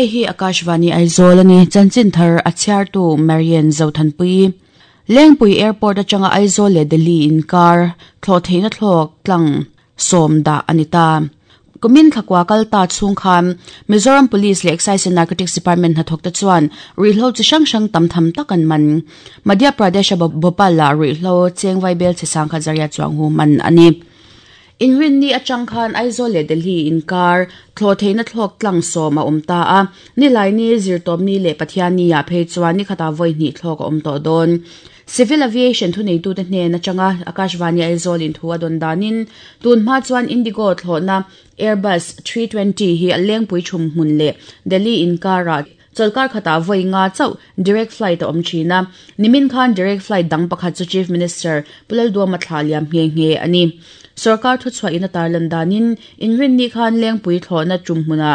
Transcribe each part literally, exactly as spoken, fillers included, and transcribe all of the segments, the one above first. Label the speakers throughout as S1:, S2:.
S1: Hei hi Akashvani Aizawl ani chanchin thar a chhiartu Marian Zothanpui Lengpui Airport atanga Aizawl le Delhi inkar thlo theina thlok tlang sawm dah anita Kumin thakwa kalta chung khan Mizoram Police le Excise and Narcotics Department hnathawk te chuan ruihhlo chi hrang hrang tam tham tak an man Madhya Pradesh a Bhopal la ruihhlo chengvai bel che sangkhat zaria chuang hu man ani Inrin ni atang khan Aizawl le Delhi inkar thlo theina thlok tlang sawm a awm ta a nilai ni zirtawm ni leh Pathian ni ah phei chuan ni khata vawi hnih thlawk a awm tawh dawn Civil Aviation thu neitu te hnen atanga Akashvani Aizawl in thu a dawn danin tun hma chuan Indigo thlawhna Airbus three twenty hi a lengpui thum hmun leh Delhi inkara cholkar khata vawi nga chauh direct flight a awm thina nimin khan direct flight dang pakhat chu Chief Minister Pulal Duama thla liam nge nge ani Sarkar thu chhuah in a tarlan danin inrin ni khan lengpui thlawhna tum hmuna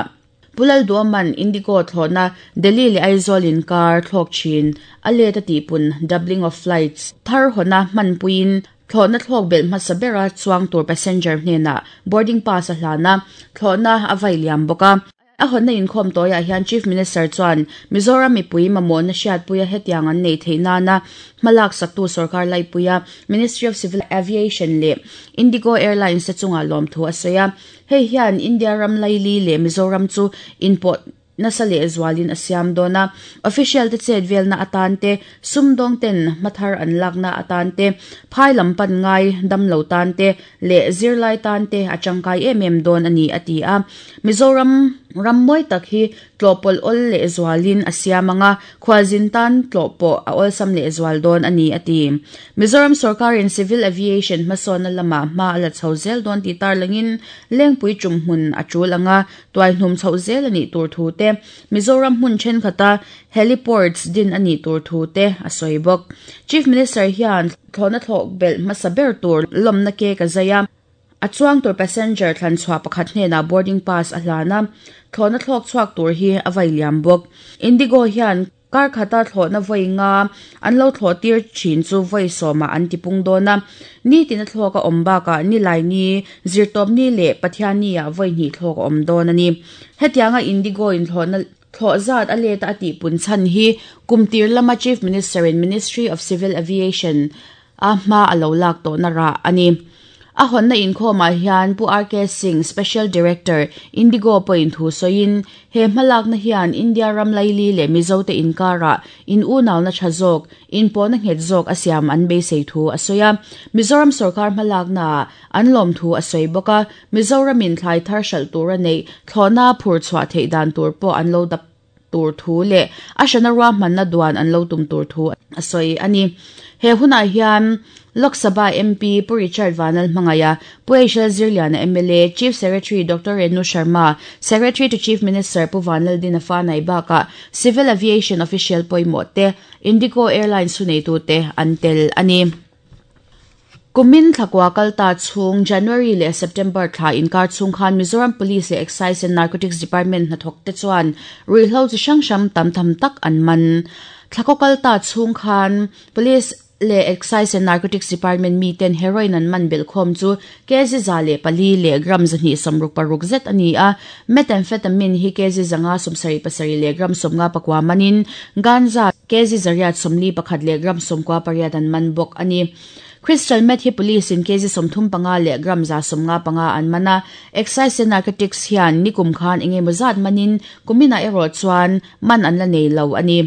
S1: Pulal Duaman Indigo thlawhna Delhi le Aizawl inkar thlawk thin a let a tihpun doubling of flights thar hona hmanpuiin thlawhna thlawk bel hmasa bera chuang tur passenger hnena boarding pass a hlana thlawhna a vai liam bawka a honna inkhawm tawiah hian Chief Minister chuan Mizoram mipui mamawhna hriatpuia hetiang an nei theih nana hmalak saktu sarkar laipuia Ministry of Civil Aviation le Indigo Airlines te chunga lawm thu a sawi a hei hian India ram laili le Mizoram chu inpawh nasa le zualin a siam dawna official te chet velna atan te sumdawng ten hmathar an lakna atan te phai lam pan ngai damlo tan te le zirlai tan te a tangkai em em dawn ani a ti a Mizoram ram mawi tak hi tlawhpawlh awl leh zualin a siam anga khualzin tan tlawhpawh a awlsam leh zual dawn ani a ti Mizoram sarkarin Civil Aviation hmasawnna lamah hma a la chho zel dawn tih tarlangin lengpui tum hmun a tul anga tuai hnum chho zel ani tur thu te Mizoram hmun thenkhat heliports din ani tur thu te a sawi bawk Chief Minister hian thlawhna thlawk bel hmasa ber tur lawmna ke ka zaia a chuang tur passenger thlan chhuah pakhat hnena boarding pass a hlana thlawhna thlawk chhuak tur hi a vai liam bawk Indigo hian kar khata thlawhna vawi nga an lo thlawh tir thin chu vawi sawma an tipung dawna ni tina thlawk a awm bakah nilai ni zirtawp ni leh Pathian ni ah vawi hnih thlawk a awm dawn ani hetianga Indigo in thlawhna thlawh zat a let a tihpun chhan hi kumtir lama Chief Minister in Ministry of Civil Aviation a hma a lo lak tawhna rah ani a honna inkhawmah hian Pu R K Singh Special Director Indigo pawhin thu sawiin he hmalakna hian India ram laili leh Mizo te inkara in unauna tha zawk inpawhna nghet zawk a siam an beisei thu a sawi a Mizoram sarkar hmalakna an lawm thu a sawi bawk a Mizoramin thlai thar hralh tur a neih thlawhna phur chhuah theih dan tur pawh an lo dap tur thu leh a hrana ruahmanna duan an lo tum tur thu a sawi ani he hunah hian Lok Sabha M P Pu Richard Vanal Hmangaya Pu Aishal Zirliana M L A Chief Secretary Doctor Renu Sharma Secretary to Chief Minister Pu Vanal Dinafa Naibaka Civil Aviation Official pawimawh te Indigo Airlines huneitu te an tel ani Kumin thakwa kalta chung January le September thla inkar chung khan Mizoram Police le Excise and Narcotics Department hnathawk te chuan ruihhlo chi hrang hrang tam tham tak an man thlakaw kalta chung khan Police le Excise and Narcotics Department mi ten heroin an man bel khom chu kg za le pali le gram zahnih sawmruk paruk zet ani a methamphetamine hi kg zanga sawmsarih pasarih le gram sawmnga pakua manin ganja kg zariat sawmli pakhat le gram sawmkua pariat an man bawk ani Crystal meth hi police in kg sawmthum panga le gram za sawmnga panga an mana Excise and Narcotics hian nikum khan engemaw zat manin kumina erawh chuan man an la nei lo ani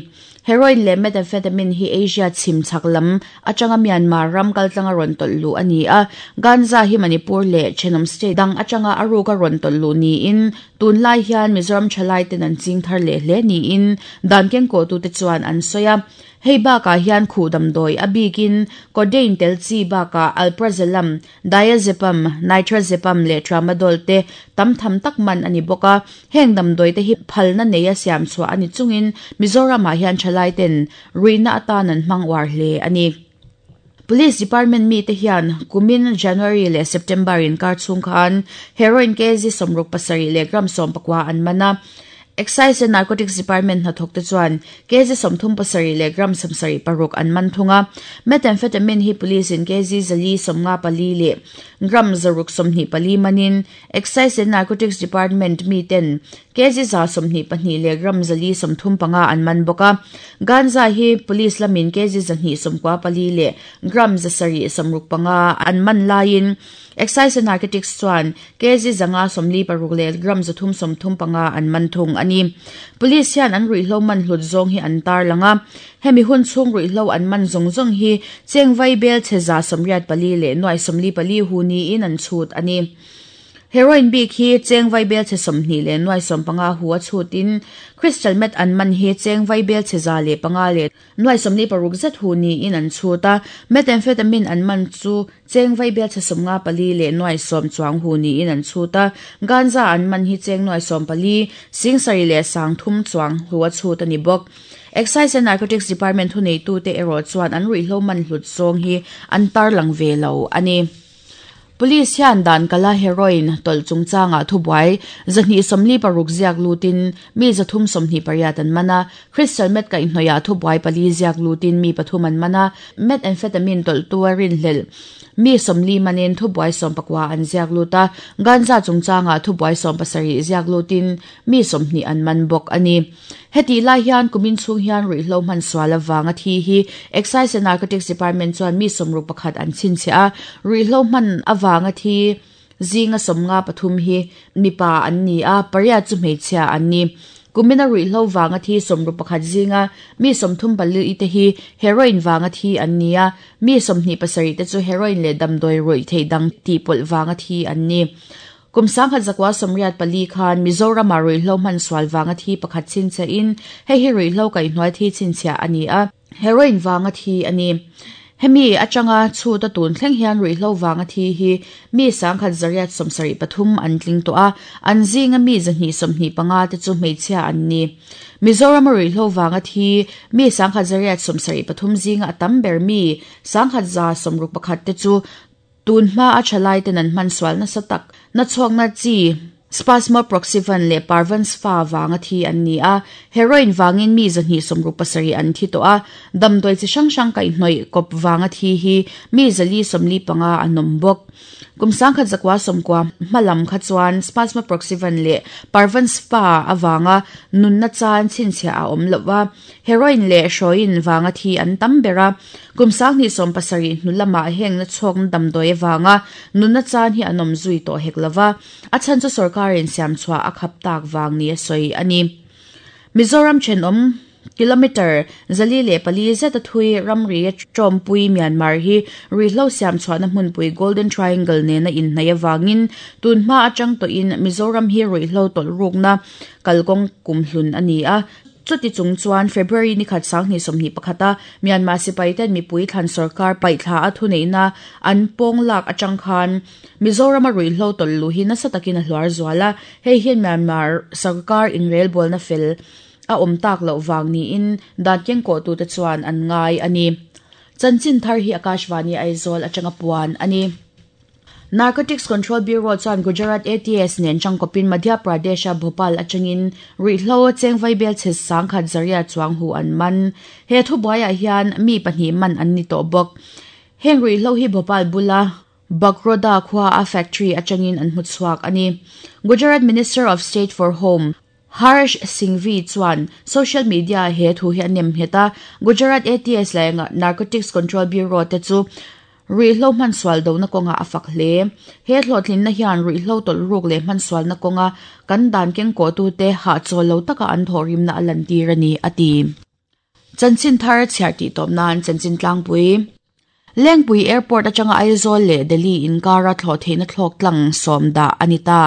S1: Heroin le methamphetamine hi Asia chhim chhak lam atanga Myanmar ram kaltlanga rawn tawlh luh ani a ganja hi Manipur le Thenawm state dang atanga a ruka rawn tawlh luh niin tunlai hian Mizoram thalai ten an ching thar leh hle niin dan keng kawh tu te chuan an sawi a hei bakah hian khuh damdawi a bikin codeine tel chi bakah alprazolam diazepam nitrazepam le tramadol te tam tham tak man ani bawk a heng damdawi te hi phalna nei a siam chhuah ani chungin Mizoramah hian thalai ten ruihna atan an hmang uar hle ani Police Department mi te hian kumin January le September in kar chung khan heroin kg sawmruk pasarih le gram sawm pakua an mana Excise and Narcotics Department na thokte chuan kg sawmthum pasarih leh gram sawmsarih paruk an man thunga. Methamphetamine hi police in kg zali sawmnga pali leh gram zaruk sawmhnih pali manin Excise and Narcotics Department mi ten kg za sawmhnih pahnih leh gram zali sawmthum panga an man bawka. Ganja hi police lamin kg zahnih sawmkua pali leh gram zasarih sawmruk panga an man laiin Excise and Narcotics chuan kg zanga sawmli paruk leh gram zathum sawmthum panga an man thung ani. Police hian an ruihhlo man hlut zawng hi an tar langa. Hemi hun chhung ruihhlo an man zawng zawng hi chengvai bel cheza sawmriat pali leh nuai sawmli pali hu niin an chhut ani. Heroin bik hi chengvai bel che sawmhnih leh nuai sawm panga hu a chhutin crystal meth an man hi chengvai bel cheza leh panga leh nuai sawmli paruk zet hu niin an chhuta. Methamphetamine an man chu chengvai bel che sawmnga pali leh nuai sawm chuang hu niin an chhuta. Ganja an man hi cheng nuai sawm pali singsari leh sang thum chuang hu a chhut ani bawk. Excise and Narcotics Department hu nei tu te erawh chuan an ruihhlo man hlut zawng hi an tar lang ve lo ani. Police hian dan kala heroin tol chungchanga thubuai zahni somli paruk ziak lutin mi zathum somhni pariat an mana. Crystal meth ka inhnoya thubuai pali ziak lutin mi pathum an mana. Methamphetamine tol tuarin hlel mi somli manin thubuai som pakwa an ziak luta. Ganja chungchanga thubuai som pasari ziak lutin mi somhni an man bawk ani. Heti lai hian kumin chung hian ruihhlo man sual awanga thi hi Excise and Narcotics Department chuan mi somruk pakhat an chin che a. Ruihhlo man awanga thi zinga somnga pathum hi mipa an ni a, pariat chu hmeichhia an ni. Kumina ruihhlo wanga thi somruk pakhat zinga mi somthum pali te hi heroin wanga thi an ni a, mi somhnih pasarih te chu heroin leh damdawi ruih thei dang ti pawlh wanga thi an ni. Kum sangkhat zakwa somriat pali khan Mizoram a ruihhlo man sual wanga thi pakhat chin che in hei hi ruihhlo kaihhnuai thi chin chhia ani a, heroin wanga thi ani. Hemi atanga chu ta tun thleng hian ruihhlo wanga thi hi mi sangkhat zariat sawmsarih pathum an tling tawh a, an zinga mi zahnih sawmhnih panga te chu hmeichhia an ni. Mizoram a ruihhlo wanga thi mi sangkhat zariat sawmsarih pathum zinga a tam ber mi sangkhat za sawmruk pakhat te chu tun hma a thalai ten an hman sual nasa tak na chhuak na chi Spasmoproxyvan leh Parvans fa wanga thi an ni a. Heroin wangin mi zahnih sawmruk pasarih an thi tawh a, damdawi chi hrang hrang kaihhnawih kawp wanga thi hi mi zali sawmli panga an awm bawk. Kum sangkhat zakwa sawmkua hmalam kha chuan Spasmoproxyvan leh Parvans fa awanga nunna chan chhinchhiah a awm lova. Heroin leh hroin wanga thi an tam bera. Kum sanghnih sawm pasarih hnu lamah heng na chhuak na damdawi awanga nunna chan hi an awm zui tawh hek lova. A chhan chu sarkarin siam chhuah a khap tak wang ni a sawi ani. Mizoram thenawm kilometer zali leh pali zet a thui ramri tawmpui Myanmar hi ruihhlo siam chhuahna hmunpui Golden Triangle nena inhnai awangin tun hma atang tawhin Mizoram hi ruihhlo tawlh rukna kalkawng kumhlun ani a. Chuti chung chuan February ni khat sanghnih sawmhnih pakhata Myanmar sipai ten mipui thlan sarkar paihthla a thuneihna an pawng lak atang khan Mizoram a ruihhlo tawlh lu hi nasa takin a hluar zuala. Hei hian Myanmar sarkar inrelbawlna fel a awm tak loh wang niin dan kengkawh tu te chuan an ngai ani. Chanchin thar hi Akashvani Aizawl atanga puan ani. Narcotics Control Bureau chuan Gujarat A T S nen changkawpin Madhya Pradesh a Bhopal atangin ruihhlo chengvai bel che sangkhat zaria chuang hu an man. He thubuaiah hian mi pahnih man an ni tawh bawk. Heng ruihhlo hi Bhopal bula Bagroda khua a factory atangin an hmu chhuak ani. Gujarat Minister of State for Home Harsh Singhvi chuan social media he thu hi anem heta. Gujarat A T S leh Narcotics Control Bureau te chu ruihhlo man sual do na kawnga a fak hle. He hlawhtlin na hian ruihhlo tawlh ruk leh hman sual na kawnga kan dan kengkawh tu te ha chawl lo taka an thawhrim na a lan tir ani a ti. Chanchin thar chhiar tih tawp nan chanchin tlangpui. Lengpui Airport atanga Aizawl leh Delhi inkara thlawh theihna thlawk tlang sawm dah ani ta.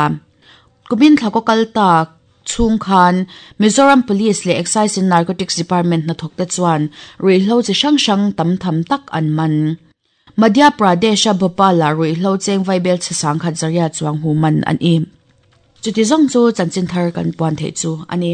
S1: Kumin thlakaw kal tak chung khan Mizoram Police leh Excise and Narcotics Department na thawk te chuan ruihhlo chi hrang hrang tam tham tak an man. Madhya Pradesh a Bhopal a ruihhlo chengvai bel che sangkhat zaria chuang hu man an i. Chuti zawng chu chanchin thar kan puan thei chu ani.